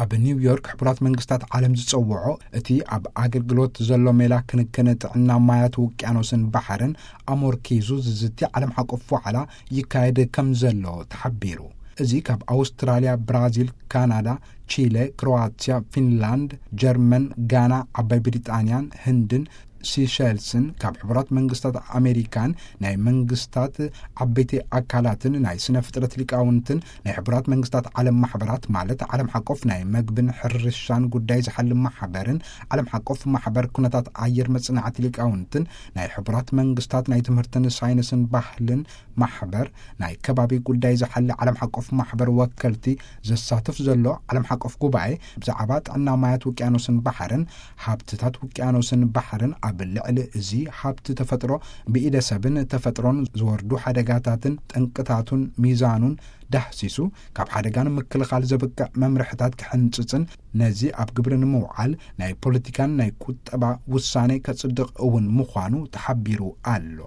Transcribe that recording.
ኣብ ኒውዮርክ ሕቡራት መንግስታት ዓለም ዝጸውዖ እቲ ኣብ ኣገልግሎት ዘሎ ሜላ ክንክን ጥዕና ማያት ውቅያኖስን ባሕርን ኣሞርኪዙ ዝዝቲ ዓለም ሓቆፍ ዋዕላ ይካየድ ከም ዘሎ ተሓቢሩ። እዚ ካብ ኣውስትራልያ፣ ብራዚል፣ ካናዳ፣ ቺለ፣ ክሮዋትያ፣ ፊንላንድ፣ ጀርመን፣ ጋና፣ ዓባይ ብሪጣንያን ህንድን ሲሸልስን ካብ ሕቡራት መንግስታት ኣሜሪካን ናይ መንግስታት ዓበይቲ ኣካላትን ናይ ስነ ፍጥረት ሊቃውንትን ናይ ሕቡራት መንግስታት ዓለም ማሕበራት ማለት ዓለም ሓቆፍ ናይ መግብን ሕርሻን ጉዳይ ዝሓልም ማሕበርን ዓለም ሓቆፍ ማሕበር ኩነታት ኣየር መጽናዕቲ ሊቃውንትን ናይ ሕቡራት መንግስታት ናይ ትምህርትን ሳይንስን ባህልን ማሕበር ናይ ከባቢ ጉዳይ ዝሓሊ ዓለም ሓቆፍ ማሕበር ወከልቲ ዘሳትፍ ዘሎ ዓለም ሓቆፍ ጉባኤ ብዛዕባ ጥዕና ማያት ውቅያኖስን ባሕርን ሃብትታት ውቅያኖስን ባሕርን ኣብ ልዕሊ እዚ ሃብቲ ተፈጥሮ ብኢደ ሰብን ተፈጥሮን ዝወርዱ ሓደጋታትን ጠንቅታቱን ሚዛኑን ዳህሲሱ ካብ ሓደጋ ንምክልኻል ዘብቅዕ መምርሕታት ክሕንጽጽን ነዚ ኣብ ግብሪ ንምውዓል ናይ ፖለቲካን ናይ ቁጠባ ውሳኔ ከጽድቕ እውን ምዃኑ ተሓቢሩ ኣሎ።